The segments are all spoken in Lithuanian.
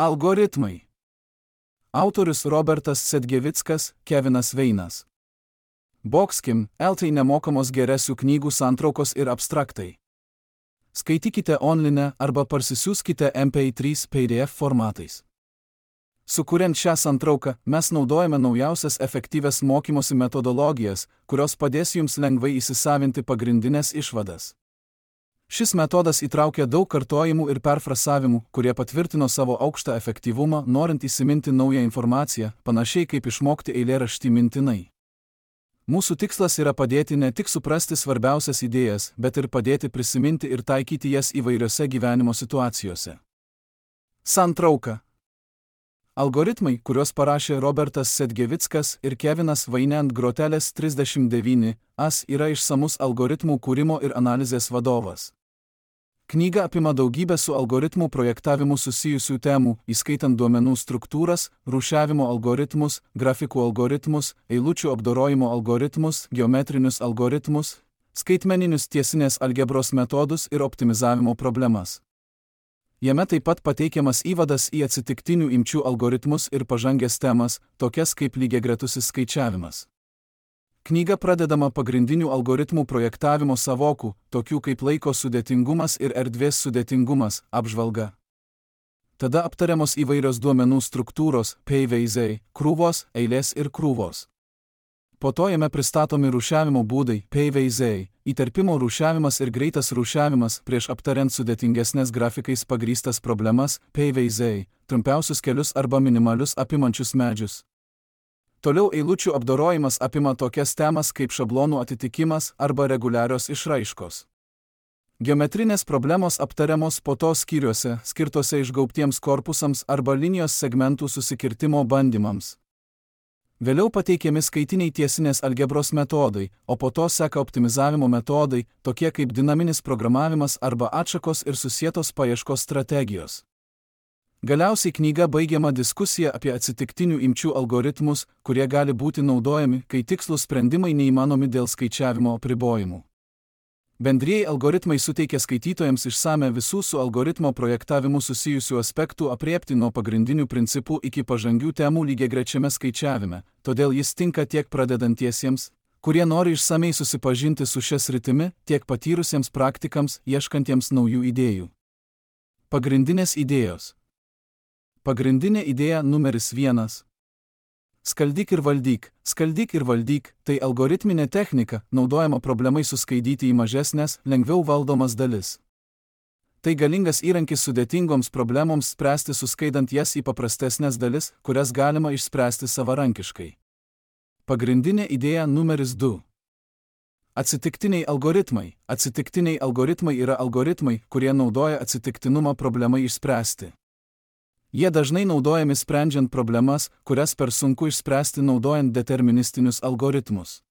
Algoritmai. Autorius Robertas Sedgevickas, Kevinas Veinas. Boxkim, LT nemokamos geresių knygų santraukos ir abstraktai. Skaitykite online arba parsisiųskite MP3 PDF formatais. Sukuriant šią santrauką, mes naudojame naujausias efektyvias mokymosi metodologijas, kurios padės jums lengvai įsisavinti pagrindinės išvadas. Šis metodas įtraukia daug kartojimų ir perfrasavimų, kurie patvirtino savo aukštą efektyvumą, norint įsiminti naują informaciją, panašiai kaip išmokti eilėraštį mintinai. Mūsų tikslas yra padėti ne tik suprasti svarbiausias idėjas, bet ir padėti prisiminti ir taikyti jas įvairiose gyvenimo situacijose. Santrauka. Algoritmai, kuriuos parašė Robertas Sedgevickas ir Kevinas Vainet Grotelės 39, yra išsamus algoritmų kūrimo ir analizės vadovas. Knyga apima daugybę su algoritmų projektavimu susijusių temų, įskaitant duomenų struktūras, rūšiavimo algoritmus, grafikų algoritmus, eilučių apdorojimo algoritmus, geometrinius algoritmus, skaitmeninius tiesinės algebros metodus ir optimizavimo problemas. Jame taip pat pateikiamas įvadas į atsitiktinių imčių algoritmus ir pažangias temas, tokias kaip lygiagretusis skaičiavimas. Knyga pradedama pagrindinių algoritmų projektavimo savokų, tokių kaip laiko sudėtingumas ir erdvės sudėtingumas, apžvalga. Tada aptariamos įvairios duomenų struktūros, PVZ, krūvos, eilės ir krūvos. Po to jame pristatomi rūšiavimo būdai, PVZ, įterpimo rūšiavimas ir greitas rūšiavimas prieš aptariant sudėtingesnės grafikais pagrįstas problemas, PVZ, trumpiausius kelius arba minimalius apimančius medžius. Toliau eilučių apdorojimas apima tokias temas kaip šablonų atitikimas arba reguliarios išraiškos. Geometrinės problemos aptariamos po to skyriuose, skirtose išgaubtiems korpusams arba linijos segmentų susikirtimo bandymams. Vėliau pateikiami skaitiniai tiesinės algebros metodai, o po to seka optimizavimo metodai, tokie kaip dinaminis programavimas arba atšakos ir susietos paieškos strategijos. Galiausiai knyga baigiama diskusija apie atsitiktinių imčių algoritmus, kurie gali būti naudojami, kai tikslūs sprendimai neįmanomi dėl skaičiavimo apribojimų. Bendrieji algoritmai suteikia skaitytojams išsame visų su algoritmo projektavimu susijusių aspektų aprėpti nuo pagrindinių principų iki pažangių temų lygiagrečiame skaičiavime, todėl jis tinka tiek pradedantiesiems, kurie nori išsamei susipažinti su šia sritimi, tiek patyrusiems praktikams, ieškantiems naujų idėjų. Pagrindinės idėjos. Pagrindinė idėja numeris 1. Skaldyk ir valdyk. Skaldyk ir valdyk – tai algoritminė technika, naudojama problemai suskaidyti į mažesnės, lengviau valdomas dalis. Tai galingas įrankis sudėtingoms problemoms spręsti suskaidant jas į paprastesnės dalis, kurias galima išspręsti savarankiškai. Pagrindinė idėja numeris 2. Atsitiktiniai algoritmai. Atsitiktiniai algoritmai yra algoritmai, kurie naudoja atsitiktinumą problemai išspręsti. Jie dažnai naudojami sprendžiant problemas, kurias per sunku išspręsti naudojant deterministinius algoritmus.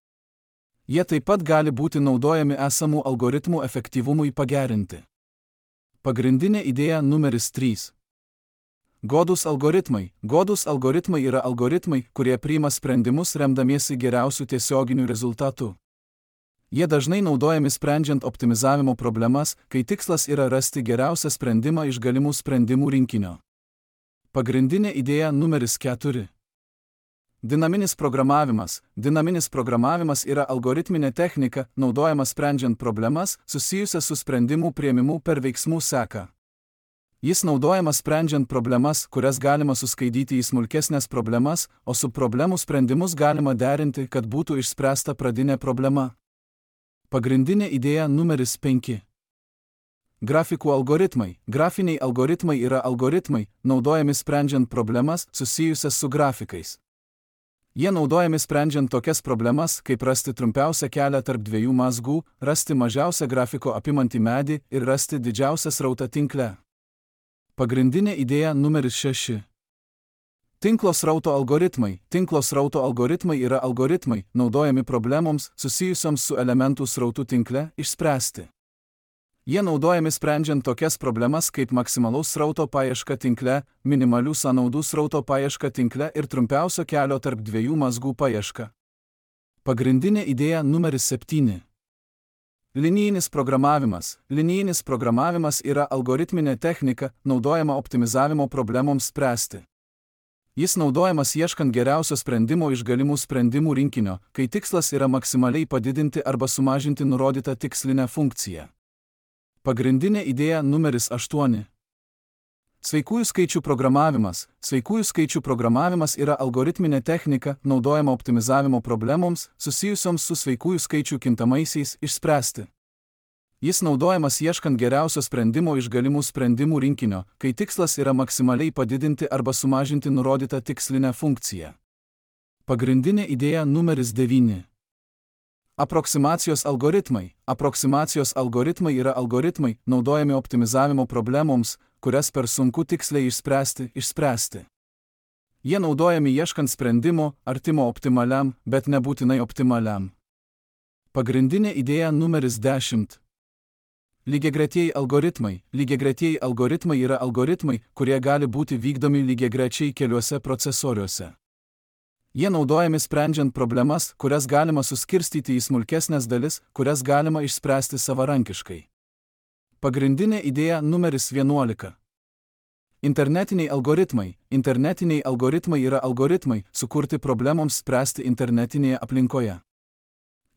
Jie taip pat gali būti naudojami esamų algoritmų efektyvumui pagerinti. Pagrindinė idėja numeris 3. Godūs algoritmai. Godūs algoritmai yra algoritmai, kurie priima sprendimus remdamiesi geriausių tiesioginių rezultatų. Jie dažnai naudojami sprendžiant optimizavimo problemas, kai tikslas yra rasti geriausią sprendimą iš galimų sprendimų rinkinio. Pagrindinė idėja numeris 4. Dinaminis programavimas. Dinaminis programavimas yra algoritminė technika, naudojama sprendžiant problemas, susijusias su sprendimų priėmimu per veiksmų seką. Jis naudojamas sprendžiant problemas, kurias galima suskaidyti į smulkesnės problemas, o su problemų sprendimus galima derinti, kad būtų išspręsta pradinė problema. Pagrindinė idėja numeris 5. Grafikų algoritmai. Grafiniai algoritmai yra algoritmai, naudojami sprendžiant problemas susijusias su grafikais. Jie naudojami sprendžiant tokias problemas, kaip rasti trumpiausią kelią tarp dviejų mazgų, rasti mažiausią grafiko apimantį medį ir rasti didžiausią srautą tinkle. Pagrindinė idėja numeris 6. Tinklo srauto algoritmai. Tinklo srauto algoritmai yra algoritmai, naudojami problemoms susijusioms su elementų srautų tinkle išspręsti. Jie naudojami sprendžiant tokias problemas kaip maksimalaus srauto paieška tinkle, minimalių sąnaudų srauto paieška tinkle ir trumpiausio kelio tarp dviejų mazgų paieška. Pagrindinė idėja numeris 7. Linijinis programavimas. Linijinis programavimas yra algoritminė technika, naudojama optimizavimo problemoms spręsti. Jis naudojamas ieškant geriausio sprendimo iš galimų sprendimų rinkinio, kai tikslas yra maksimaliai padidinti arba sumažinti nurodytą tikslinę funkciją. Pagrindinė idėja numeris 8. Sveikųjų skaičių programavimas. Sveikųjų skaičių programavimas yra algoritminė technika, naudojama optimizavimo problemoms, susijusioms su sveikųjų skaičių kintamaisiais, išspręsti. Jis naudojamas ieškant geriausio sprendimo iš galimų sprendimų rinkinio, kai tikslas yra maksimaliai padidinti arba sumažinti nurodytą tikslinę funkciją. Pagrindinė idėja numeris 9. Aproksimacijos algoritmai. Aproksimacijos algoritmai yra algoritmai, naudojami optimizavimo problemoms, kurias per sunku tiksliai išspręsti. Jie naudojami ieškant sprendimo, artimo optimaliam, bet nebūtinai optimaliam. Pagrindinė idėja numeris 10. Lygiagretieji algoritmai. Lygiagretieji algoritmai yra algoritmai, kurie gali būti vykdomi lygiagrečiai keliuose procesoriuose. Jie naudojami sprendžiant problemas, kurias galima suskirstyti į smulkesnes dalis, kurias galima išspręsti savarankiškai. Pagrindinė idėja numeris 11. Internetiniai algoritmai. Internetiniai algoritmai yra algoritmai, sukurti problemoms spręsti internetinėje aplinkoje.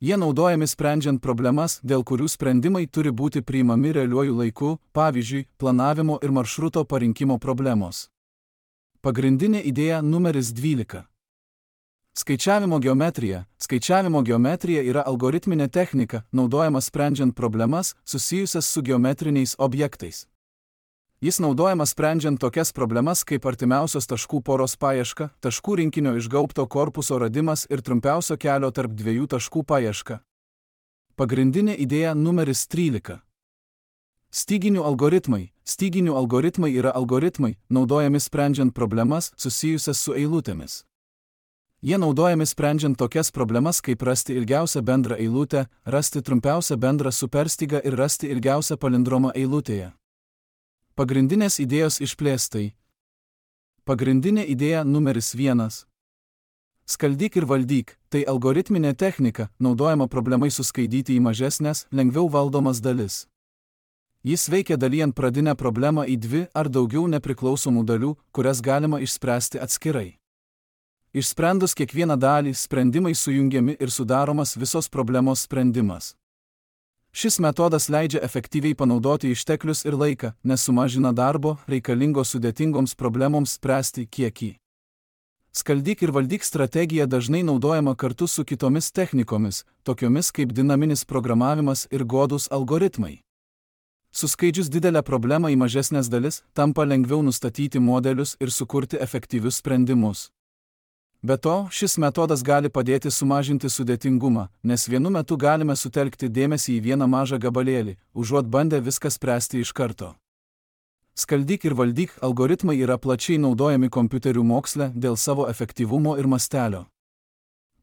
Jie naudojami sprendžiant problemas, dėl kurių sprendimai turi būti priimami realiuoju laiku, pavyzdžiui, planavimo ir maršruto parinkimo problemos. Pagrindinė idėja numeris 12. Skaičiavimo geometrija. Skaičiavimo geometrija yra algoritminė technika, naudojama sprendžiant problemas, susijusias su geometriniais objektais. Jis naudojamas sprendžiant tokias problemas kaip artimiausios taškų poros paieška, taškų rinkinio išgaubto korpuso radimas ir trumpiausio kelio tarp dviejų taškų paieška. Pagrindinė idėja numeris 13. Styginių algoritmai. Styginių algoritmai yra algoritmai, naudojami sprendžiant problemas, susijusias su eilutėmis. Jie naudojami sprendžiant tokias problemas kaip rasti ilgiausią bendrą eilutę, rasti trumpiausią bendrą superstygą ir rasti ilgiausią palindromą eilutėje. Pagrindinės idėjos išplėstai. Pagrindinė idėja numeris 1. Skaldyk ir valdyk. Tai algoritminė technika, naudojama problemai suskaidyti į mažesnės, lengviau valdomas dalis. Jis veikia dalijant pradinę problemą į 2 ar daugiau nepriklausomų dalių, kurias galima išspręsti atskirai. Išsprendus kiekvieną dalį, sprendimai sujungiami ir sudaromas visos problemos sprendimas. Šis metodas leidžia efektyviai panaudoti išteklius ir laiką, nes sumažina darbo, reikalingo sudėtingoms problemoms spręsti kiekį. Skaldyk ir valdyk strategija dažnai naudojama kartu su kitomis technikomis, tokiomis kaip dinaminis programavimas ir godūs algoritmai. Suskaidžius didelę problemą į mažesnės dalis, tampa lengviau nustatyti modelius ir sukurti efektyvius sprendimus. Be to, šis metodas gali padėti sumažinti sudėtingumą, nes vienu metu galime sutelkti dėmesį į vieną mažą gabalėlį, užuot bandę viską spręsti iš karto. Skaldyk ir valdyk algoritmai yra plačiai naudojami kompiuterių moksle dėl savo efektyvumo ir mastelio.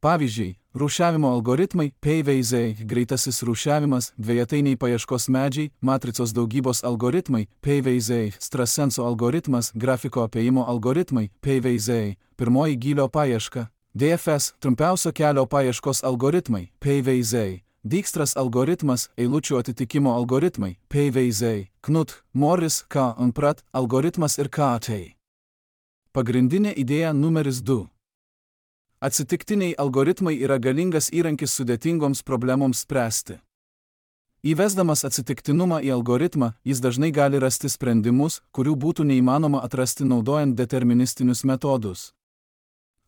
Pavyzdžiui, rūšiavimo algoritmai, PVZ, greitasis rūšiavimas, dvejetainiai paieškos medžiai, matricos daugybos algoritmai, PVZ, Strasenso algoritmas, grafiko apėjimo algoritmai, PVZ, pirmoji gylio paieška, DFS, trumpiausio kelio paieškos algoritmai, PVZ, Dijkstros algoritmas, eilučių atitikimo algoritmai, PVZ, Knut, Morris, K. und Pratt, algoritmas ir KT. Pagrindinė idėja numeris 2. Atsitiktiniai algoritmai yra galingas įrankis sudėtingoms problemoms spręsti. Įvesdamas atsitiktinumą į algoritmą, jis dažnai gali rasti sprendimus, kurių būtų neįmanoma atrasti naudojant deterministinius metodus.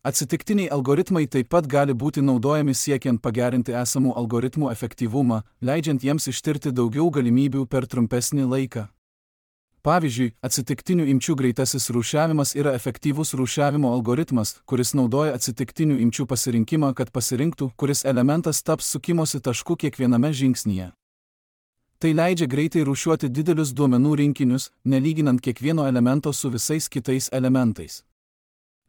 Atsitiktiniai algoritmai taip pat gali būti naudojami siekiant pagerinti esamų algoritmų efektyvumą, leidžiant jiems ištirti daugiau galimybių per trumpesnį laiką. Pavyzdžiui, atsitiktinių imčių greitasis rūšiavimas yra efektyvus rūšiavimo algoritmas, kuris naudoja atsitiktinių imčių pasirinkimą, kad pasirinktų, kuris elementas taps sukimosi tašku kiekviename žingsnyje. Tai leidžia greitai rūšiuoti didelius duomenų rinkinius, nelyginant kiekvieno elemento su visais kitais elementais.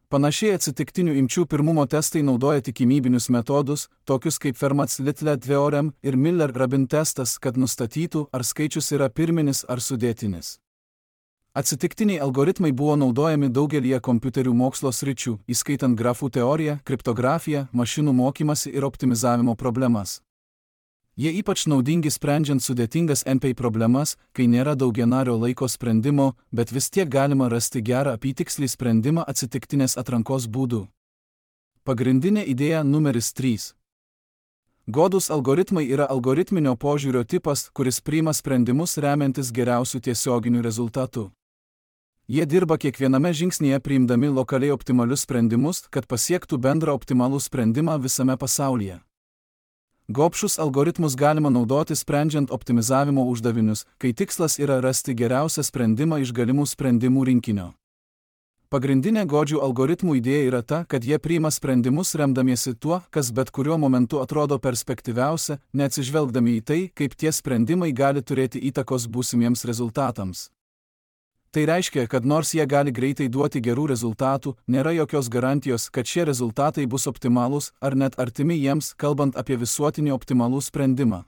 Panašiai atsitiktinių imčių pirmumo testai naudoja tikimybinius metodus, tokius kaip Fermats-Littler theorem ir Miller-Rabin testas, kad nustatytų, ar skaičius yra pirminis ar sudėtinis. Atsitiktiniai algoritmai buvo naudojami daugelyje kompiuterių mokslo sričių, įskaitant grafų teoriją, kriptografiją, mašinų mokymasi ir optimizavimo problemas. Jie ypač naudingi sprendžiant sudėtingas NPI problemas, kai nėra daugianario laiko sprendimo, bet vis tiek galima rasti gerą apytikslį sprendimą atsitiktinės atrankos būdų. Pagrindinė idėja numeris 3. Godūs algoritmai yra algoritminio požiūrio tipas, kuris priima sprendimus remiantis geriausių tiesioginių rezultatų. Jie dirba kiekviename žingsnyje priimdami lokaliai optimalius sprendimus, kad pasiektų bendrą optimalų sprendimą visame pasaulyje. Gobšus algoritmus galima naudoti sprendžiant optimizavimo uždavinius, kai tikslas yra rasti geriausią sprendimą iš galimų sprendimų rinkinio. Pagrindinė godžių algoritmų idėja yra ta, kad jie priima sprendimus remdamiesi tuo, kas bet kuriuo momentu atrodo perspektyviausia, neatsižvelgdami į tai, kaip tie sprendimai gali turėti įtakos būsimiems rezultatams. Tai reiškia, kad nors jie gali greitai duoti gerų rezultatų, nėra jokios garantijos, kad šie rezultatai bus optimalūs ar net artimi jiems, kalbant apie visuotinį optimalų sprendimą.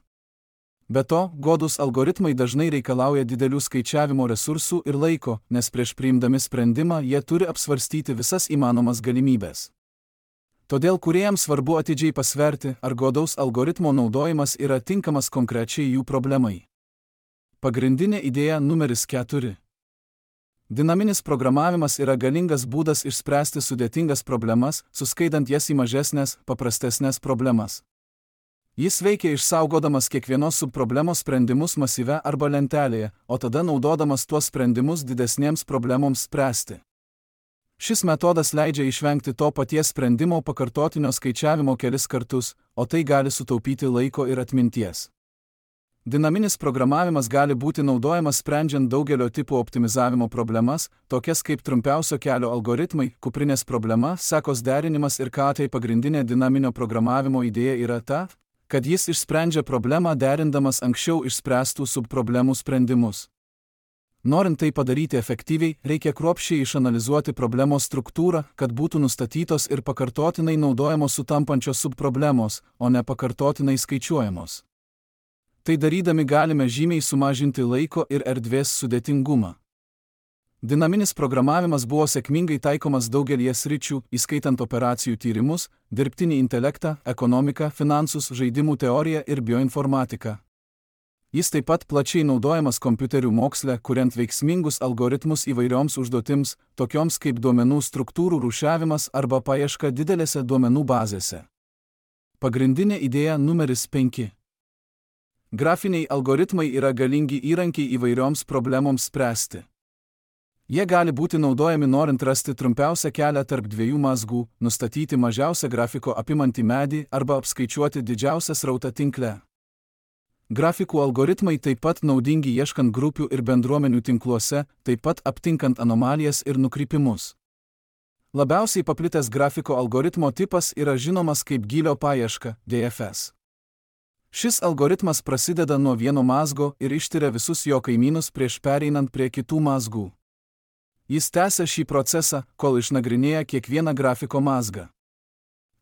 Be to, godūs algoritmai dažnai reikalauja didelių skaičiavimo resursų ir laiko, nes prieš priimdami sprendimą jie turi apsvarstyti visas įmanomas galimybės. Todėl kūrėjams svarbu atidžiai pasverti, ar godaus algoritmo naudojimas yra tinkamas konkrečiai jų problemai. Pagrindinė idėja numeris 4. Dinaminis programavimas yra galingas būdas išspręsti sudėtingas problemas, suskaidant jas į mažesnės, paprastesnės problemas. Jis veikia išsaugodamas kiekvienos subproblemos sprendimus masyve arba lentelėje, o tada naudodamas tuos sprendimus didesnėms problemoms spręsti. Šis metodas leidžia išvengti to paties sprendimo pakartotinio skaičiavimo kelis kartus, o tai gali sutaupyti laiko ir atminties. Dinaminis programavimas gali būti naudojamas sprendžiant daugelio tipų optimizavimo problemas, tokias kaip trumpiausio kelio algoritmai, kuprinės problema, sekos derinimas ir ką tai pagrindinė dinaminio programavimo idėja yra ta, kad jis išsprendžia problemą derindamas anksčiau išspręstų subproblemų sprendimus. Norint tai padaryti efektyviai, reikia kruopščiai išanalizuoti problemos struktūrą, kad būtų nustatytos ir pakartotinai naudojamos sutampančios subproblemos, o ne pakartotinai skaičiuojamos. Tai darydami galime žymiai sumažinti laiko ir erdvės sudėtingumą. Dinaminis programavimas buvo sėkmingai taikomas daugelie sričių, įskaitant operacijų tyrimus, dirbtinį intelektą, ekonomiką, finansus, žaidimų teoriją ir bioinformatiką. Jis taip pat plačiai naudojamas kompiuterių moksle, kuriant veiksmingus algoritmus įvairioms užduotims, tokioms kaip duomenų struktūrų rūšiavimas arba paieška didelėse duomenų bazėse. Pagrindinė idėja numeris 5. Grafiniai algoritmai yra galingi įrankiai įvairioms problemoms spręsti. Jie gali būti naudojami norint rasti trumpiausią kelią tarp dviejų mazgų, nustatyti mažiausią grafiko apimantį medį arba apskaičiuoti didžiausią srautą tinkle. Grafikų algoritmai taip pat naudingi ieškant grupių ir bendruomenių tinkluose, taip pat aptinkant anomalijas ir nukrypimus. Labiausiai paplitęs grafiko algoritmo tipas yra žinomas kaip gylio paieška, DFS. Šis algoritmas prasideda nuo vieno mazgo ir ištiria visus jo kaimynus prieš pereinant prie kitų mazgų. Jis tęsia šį procesą, kol išnagrinėja kiekvieną grafiko mazgą.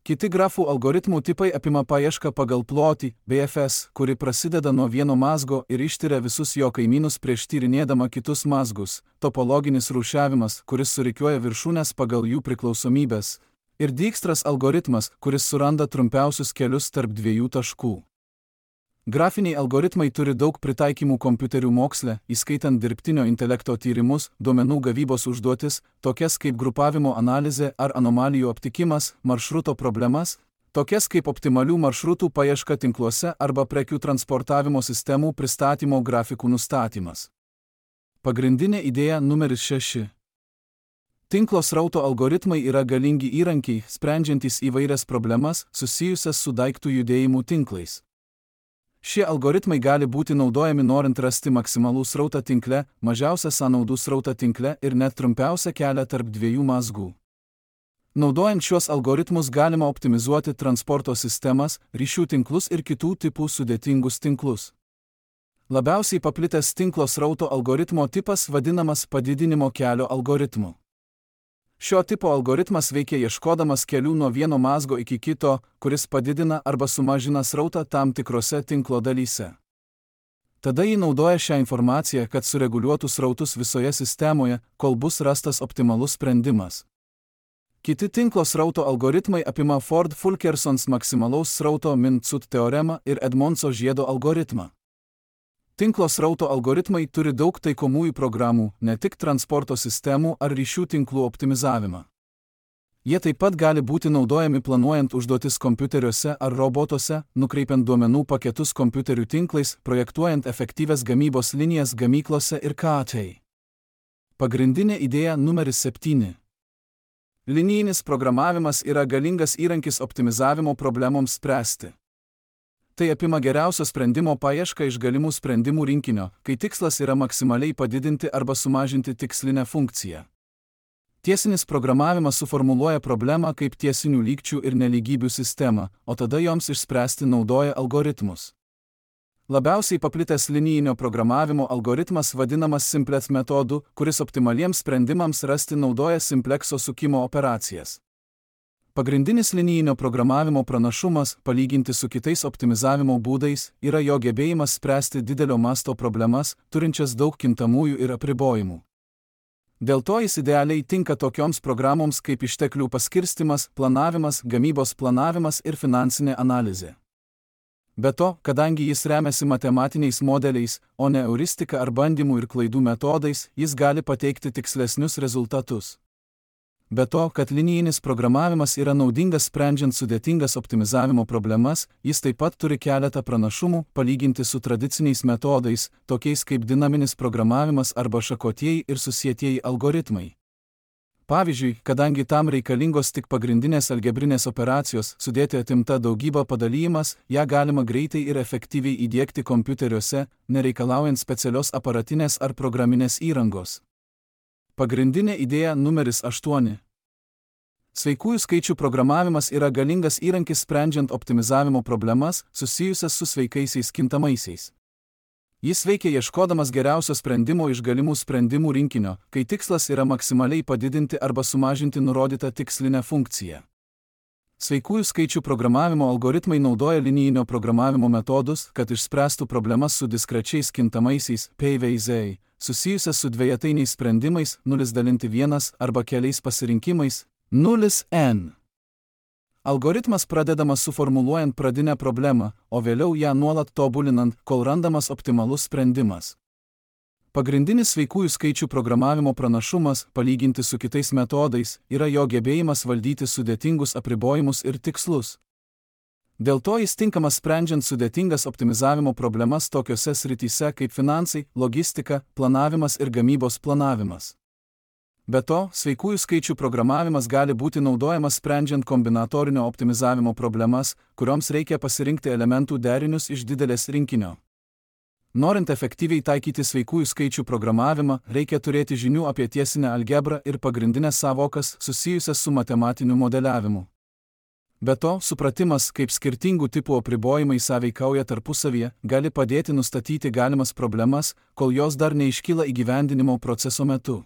Kiti grafų algoritmų tipai apima paiešką pagal plotį, BFS, kuri prasideda nuo vieno mazgo ir ištiria visus jo kaimynus prieš tyrinėdama kitus mazgus, topologinis rūšiavimas, kuris surikiuoja viršūnes pagal jų priklausomybės, ir Dijkstros algoritmas, kuris suranda trumpiausius kelius tarp dviejų taškų. Grafiniai algoritmai turi daug pritaikymų kompiuterių moksle, įskaitant dirbtinio intelekto tyrimus, duomenų gavybos užduotis, tokias kaip grupavimo analizė ar anomalijų aptikimas, maršruto problemas, tokias kaip optimalių maršrutų paieška tinkluose arba prekių transportavimo sistemų pristatymo grafikų nustatymas. Pagrindinė idėja numeris 6. Tinklo srauto algoritmai yra galingi įrankiai, sprendžiantys įvairias problemas susijusias su daiktų judėjimų tinklais. Šie algoritmai gali būti naudojami norint rasti maksimalų srautą tinkle, mažiausią sąnaudų srautą tinkle ir net trumpiausią kelią tarp dviejų mazgų. Naudojant šios algoritmus galima optimizuoti transporto sistemas, ryšių tinklus ir kitų tipų sudėtingus tinklus. Labiausiai paplitęs tinklo srauto algoritmo tipas vadinamas padidinimo kelio algoritmu. Šio tipo algoritmas veikia ieškodamas kelių nuo vieno mazgo iki kito, kuris padidina arba sumažina srautą tam tikrose tinklo dalyse. Tada jį naudoja šią informaciją, kad sureguliuotų srautus visoje sistemoje, kol bus rastas optimalus sprendimas. Kiti tinklo srauto algoritmai apima Ford-Fulkersons maksimalaus srauto Min-Cut teoremą ir Edmondso žiedo algoritmą. Tinklo srauto algoritmai turi daug taikomųjų programų, ne tik transporto sistemų ar ryšių tinklų optimizavimą. Jie taip pat gali būti naudojami planuojant užduotis kompiuteriuose ar robotuose, nukreipiant duomenų paketus kompiuterių tinklais, projektuojant efektyvias gamybos linijas gamyklose ir KT. Pagrindinė idėja numeris 7. Linijinis programavimas yra galingas įrankis optimizavimo problemoms spręsti. Tai apima geriausio sprendimo paiešką iš galimų sprendimų rinkinio, kai tikslas yra maksimaliai padidinti arba sumažinti tikslinę funkciją. Tiesinis programavimas suformuluoja problemą kaip tiesinių lygčių ir nelygybių sistemą, o tada joms išspręsti naudoja algoritmus. Labiausiai paplitęs linijinio programavimo algoritmas vadinamas simplex metodu, kuris optimaliems sprendimams rasti naudoja simplekso sukimo operacijas. Pagrindinis linijinio programavimo pranašumas, palyginti su kitais optimizavimo būdais, yra jo gebėjimas spręsti didelio masto problemas, turinčias daug kintamųjų ir apribojimų. Dėl to jis idealiai tinka tokioms programoms kaip išteklių paskirstymas, planavimas, gamybos planavimas ir finansinė analizė. Be to, kadangi jis remiasi matematiniais modeliais, o ne euristika ar bandymų ir klaidų metodais, jis gali pateikti tikslesnius rezultatus. Be to, kad linijinis programavimas yra naudingas sprendžiant sudėtingas optimizavimo problemas, jis taip pat turi keletą pranašumų, palyginti su tradiciniais metodais, tokiais kaip dinaminis programavimas arba šakotieji ir susietieji algoritmai. Pavyzdžiui, kadangi tam reikalingos tik pagrindinės algebrinės operacijos, sudėti atimta daugybą padalyjimas, ją galima greitai ir efektyviai įdiegti kompiuteriuose, nereikalaujant specialios aparatinės ar programinės įrangos. Pagrindinė idėja numeris 8. Sveikųjų skaičių programavimas yra galingas įrankis sprendžiant optimizavimo problemas, susijusias su sveikaisiais kintamaisiais. Jis veikia ieškodamas geriausio sprendimo iš galimų sprendimų rinkinio, kai tikslas yra maksimaliai padidinti arba sumažinti nurodytą tikslinę funkciją. Sveikųjų skaičių programavimo algoritmai naudoja linijinio programavimo metodus, kad išspręstų problemas su diskrečiais kintamaisiais PVZ, susijusias su dvejetainiais sprendimais 0-1 arba keliais pasirinkimais 0n. Algoritmas pradedamas suformuluojant pradinę problemą, o vėliau ją nuolat tobulinant, kol randamas optimalus sprendimas. Pagrindinis sveikųjų skaičių programavimo pranašumas, palyginti su kitais metodais, yra jo gebėjimas valdyti sudėtingus apribojimus ir tikslus. Dėl to jis tinkamas sprendžiant sudėtingas optimizavimo problemas tokiose srityse kaip finansai, logistika, planavimas ir gamybos planavimas. Be to, sveikųjų skaičių programavimas gali būti naudojamas sprendžiant kombinatorinio optimizavimo problemas, kurioms reikia pasirinkti elementų derinius iš didelės rinkinio. Norint efektyviai taikyti sveikųjų skaičių programavimą, reikia turėti žinių apie tiesinę algebrą ir pagrindinės sąvokas susijusias su matematiniu modeliavimu. Be to, supratimas, kaip skirtingų tipų apribojimai sąveikauja tarpusavyje, gali padėti nustatyti galimas problemas, kol jos dar neiškyla įgyvendinimo proceso metu.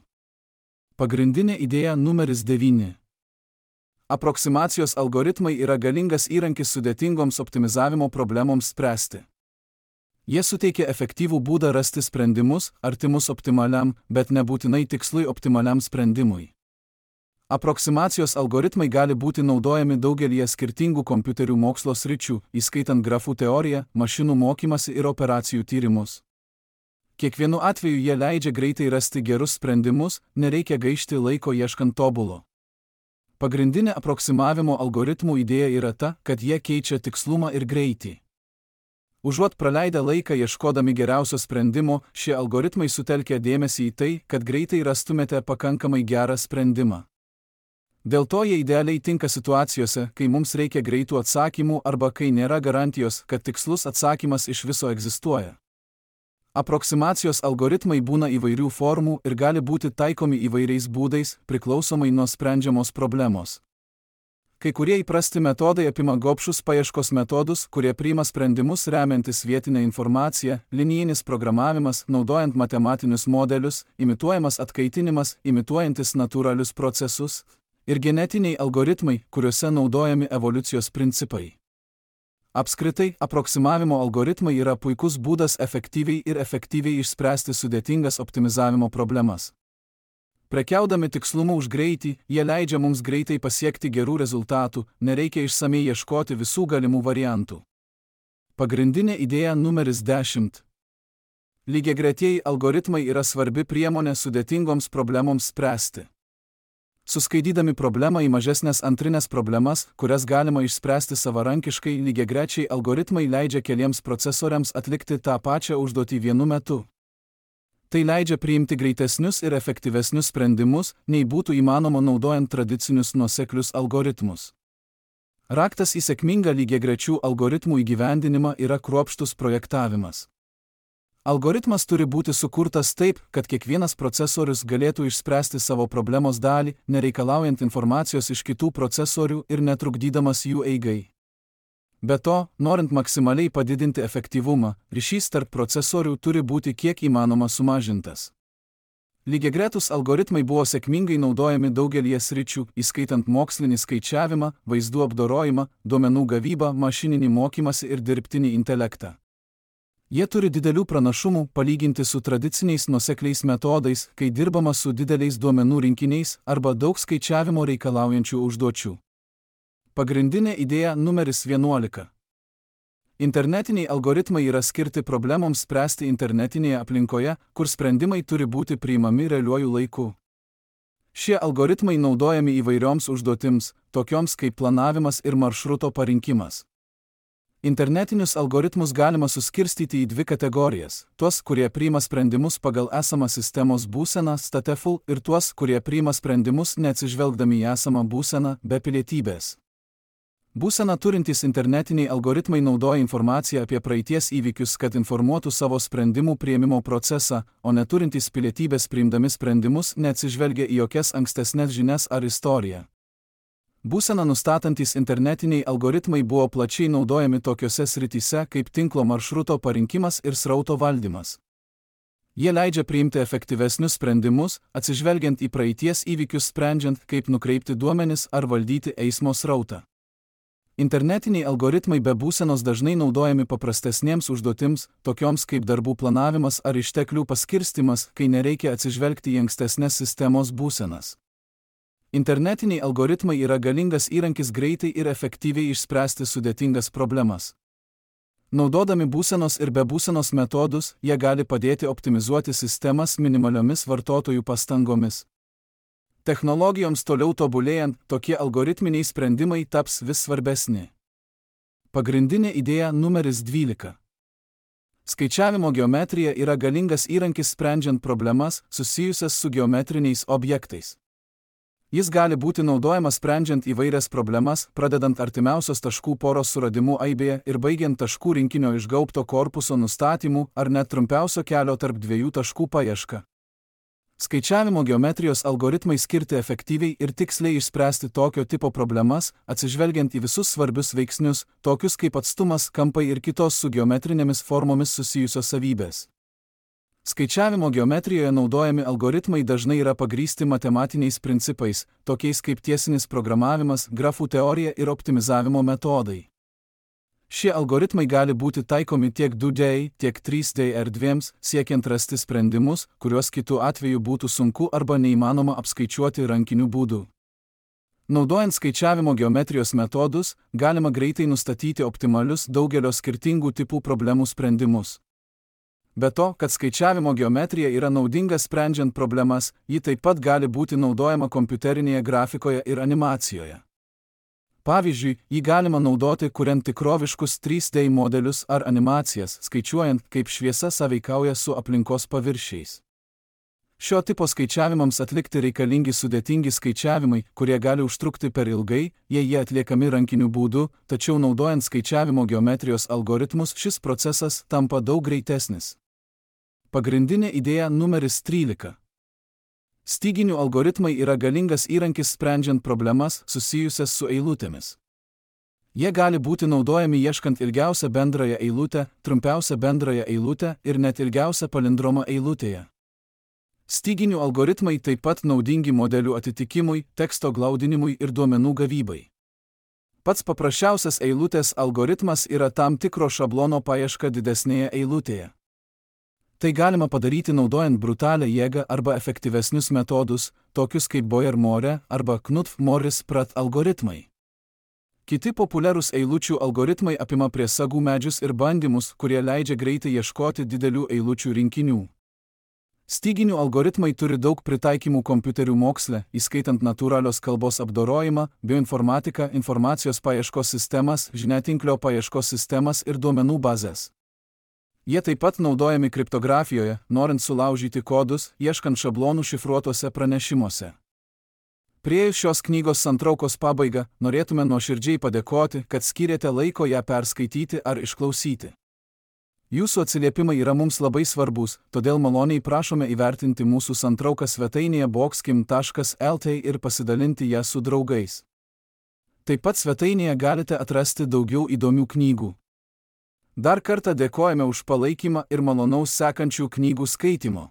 Pagrindinė idėja numeris 9. Aproksimacijos algoritmai yra galingas įrankis sudėtingoms optimizavimo problemoms spręsti. Jie suteikia efektyvų būdą rasti sprendimus, artimus optimaliam, bet nebūtinai tikslui optimaliam sprendimui. Aproksimacijos algoritmai gali būti naudojami daugelyje skirtingų kompiuterių mokslo sričių, įskaitant grafų teoriją, mašinų mokymąsi ir operacijų tyrimus. Kiekvienu atveju jie leidžia greitai rasti gerus sprendimus, nereikia gaišti laiko ieškant tobulo. Pagrindinė aproksimavimo algoritmų idėja yra ta, kad jie keičia tikslumą ir greitį. Užuot praleidę laiką ieškodami geriausio sprendimo, šie algoritmai sutelkia dėmesį į tai, kad greitai rastumėte pakankamai gerą sprendimą. Dėl to jie idealiai tinka situacijose, kai mums reikia greitų atsakymų arba kai nėra garantijos, kad tikslus atsakymas iš viso egzistuoja. Aproksimacijos algoritmai būna įvairių formų ir gali būti taikomi įvairiais būdais, priklausomai nuo sprendžiamos problemos. Kai kurie įprasti metodai apima gobšus paieškos metodus, kurie priima sprendimus remiantis vietinę informaciją, linijinis programavimas, naudojant matematinius modelius, imituojamas atkaitinimas, imituojantis natūralius procesus, ir genetiniai algoritmai, kuriuose naudojami evoliucijos principai. Apskritai, aproksimavimo algoritmai yra puikus būdas efektyviai išspręsti sudėtingas optimizavimo problemas. Prekiaudami tikslumu už greitį, jie leidžia mums greitai pasiekti gerų rezultatų, nereikia išsamei ieškoti visų galimų variantų. Pagrindinė idėja numeris 10. Lygiagretieji algoritmai yra svarbi priemonė sudėtingoms problemoms spręsti. Suskaidydami problemą į mažesnės antrinės problemas, kurias galima išspręsti savarankiškai, lygiagrečiai algoritmai leidžia keliems procesoriams atlikti tą pačią užduotį vienu metu. Tai leidžia priimti greitesnius ir efektyvesnius sprendimus, nei būtų įmanoma naudojant tradicinius nuoseklius algoritmus. Raktas į sėkmingą lygiagrečių algoritmų įgyvendinimą yra kruopštus projektavimas. Algoritmas turi būti sukurtas taip, kad kiekvienas procesorius galėtų išspręsti savo problemos dalį, nereikalaujant informacijos iš kitų procesorių ir netrukdydamas jų eigai. Be to, norint maksimaliai padidinti efektyvumą, ryšys tarp procesorių turi būti kiek įmanoma sumažintas. Lygiagretūs algoritmai buvo sėkmingai naudojami daugelį sričių, įskaitant mokslinį skaičiavimą, vaizdų apdorojimą, duomenų gavybą, mašininį mokymąsi ir dirbtinį intelektą. Jie turi didelių pranašumų palyginti su tradiciniais nuosekliais metodais, kai dirbama su dideliais duomenų rinkiniais arba daug skaičiavimo reikalaujančių užduočių. Pagrindinė idėja numeris 11. Internetiniai algoritmai yra skirti problemoms spręsti internetinėje aplinkoje, kur sprendimai turi būti priimami realiuoju laiku. Šie algoritmai naudojami įvairioms užduotims, tokioms kaip planavimas ir maršruto parinkimas. Internetinius algoritmus galima suskirstyti į dvi kategorijas – tuos, kurie priima sprendimus pagal esamą sistemos būseną stateful ir tuos, kurie priima sprendimus neatsižvelgdami į esamą būseną be pilietybės. Būseną turintys internetiniai algoritmai naudoja informaciją apie praeities įvykius, kad informuotų savo sprendimų priėmimo procesą, o neturintys pilietybės priimdami sprendimus neatsižvelgia į jokias ankstesnes žinias ar istoriją. Būseną nustatantys internetiniai algoritmai buvo plačiai naudojami tokiose srityse kaip tinklo maršruto parinkimas ir srauto valdymas. Jie leidžia priimti efektyvesnius sprendimus, atsižvelgiant į praeities įvykius, sprendžiant, kaip nukreipti duomenis ar valdyti eismo srautą. Internetiniai algoritmai be būsenos dažnai naudojami paprastesniems užduotims, tokioms kaip darbų planavimas ar išteklių paskirstimas, kai nereikia atsižvelgti į ankstesnes sistemos būsenas. Internetiniai algoritmai yra galingas įrankis greitai ir efektyviai išspręsti sudėtingas problemas. Naudodami būsenos ir be būsenos metodus, jie gali padėti optimizuoti sistemas minimaliomis vartotojų pastangomis. Technologijoms toliau tobulėjant, tokie algoritminiai sprendimai taps vis svarbesni. Pagrindinė idėja numeris 12. Skaičiavimo geometrija yra galingas įrankis sprendžiant problemas susijusias su geometriniais objektais. Jis gali būti naudojamas sprendžiant įvairias problemas, pradedant artimiausios taškų poros suradimu aibėje ir baigiant taškų rinkinio išgaubto korpuso nustatymu ar net trumpiausio kelio tarp dviejų taškų paieška. Skaičiavimo geometrijos algoritmai skirti efektyviai ir tiksliai išspręsti tokio tipo problemas, atsižvelgiant į visus svarbius veiksnius, tokius kaip atstumas, kampai ir kitos su geometrinėmis formomis susijusios savybės. Skaičiavimo geometrijoje naudojami algoritmai dažnai yra pagrįsti matematiniais principais, tokiais kaip tiesinis programavimas, grafų teorija ir optimizavimo metodai. Šie algoritmai gali būti taikomi tiek 2D, tiek 3D erdvėms, siekiant rasti sprendimus, kuriuos kitu atveju būtų sunku arba neįmanoma apskaičiuoti rankiniu būdu. Naudojant skaičiavimo geometrijos metodus, galima greitai nustatyti optimalius daugelio skirtingų tipų problemų sprendimus. Be to, kad skaičiavimo geometrija yra naudinga sprendžiant problemas, ji taip pat gali būti naudojama kompiuterinėje grafikoje ir animacijoje. Pavyzdžiui, jį galima naudoti kuriant tikroviškus 3D modelius ar animacijas, skaičiuojant, kaip šviesa sąveikauja su aplinkos paviršiais. Šio tipo skaičiavimams atlikti reikalingi sudėtingi skaičiavimai, kurie gali užtrukti per ilgai, jei jie atliekami rankiniu būdu, tačiau naudojant skaičiavimo geometrijos algoritmus šis procesas tampa daug greitesnis. Pagrindinė idėja numeris 13. Styginių algoritmai yra galingas įrankis sprendžiant problemas susijusias su eilutėmis. Jie gali būti naudojami ieškant ilgiausią bendrąją eilutę, trumpiausią bendrąją eilutę ir net ilgiausią palindromą eilutėje. Styginių algoritmai taip pat naudingi modelių atitikimui, teksto glaudinimui ir duomenų gavybai. Pats paprasčiausias eilutės algoritmas yra tam tikro šablono paieška didesnėje eilutėje. Tai galima padaryti naudojant brutalią jėgą arba efektyvesnius metodus, tokius kaip Boyer-More arba Knuth-Morris-Pratt algoritmai. Kiti populiarūs eilučių algoritmai apima priesagų medžius ir bandymus, kurie leidžia greitai ieškoti didelių eilučių rinkinių. Styginių algoritmai turi daug pritaikymų kompiuterių moksle, įskaitant natūralios kalbos apdorojimą, bioinformatiką, informacijos paieškos sistemas, žiniatinklio paieškos sistemas ir duomenų bazės. Jie taip pat naudojami kriptografijoje, norint sulaužyti kodus, ieškant šablonų šifruotose pranešimuose. Priėjus šios knygos santraukos pabaigą, norėtume nuoširdžiai padėkoti, kad skyrėte laiko ją perskaityti ar išklausyti. Jūsų atsiliepimai yra mums labai svarbus, todėl maloniai prašome įvertinti mūsų santrauką svetainėje boxkim.lt ir pasidalinti ją su draugais. Taip pat svetainėje galite atrasti daugiau įdomių knygų. Dar kartą dėkojame už palaikymą ir malonaus sekančių knygų skaitymo.